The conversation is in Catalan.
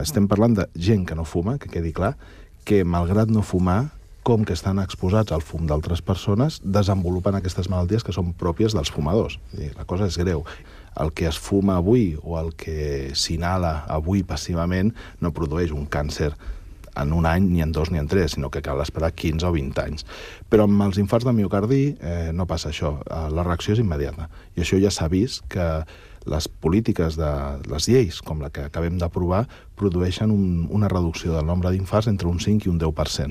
Estem parlant de gent que no fuma, que quedi clar, que malgrat no fumar, com que estan exposats al fum d'altres persones, desenvolupen aquestes malalties que són pròpies dels fumadors. La cosa és greu. El que es fuma avui o el que s'inhala avui passivament no produeix un càncer en un any, ni en 2, ni en 3, sinó que cal esperar 15 o 20 anys. Però amb els infarts de miocardi no passa això. La reacció és immediata. I això ja s'ha vist que les polítiques de les lleis, com la que acabem d'aprovar, produeixen una reducció del nombre d'infarts entre un 5 i un 10%.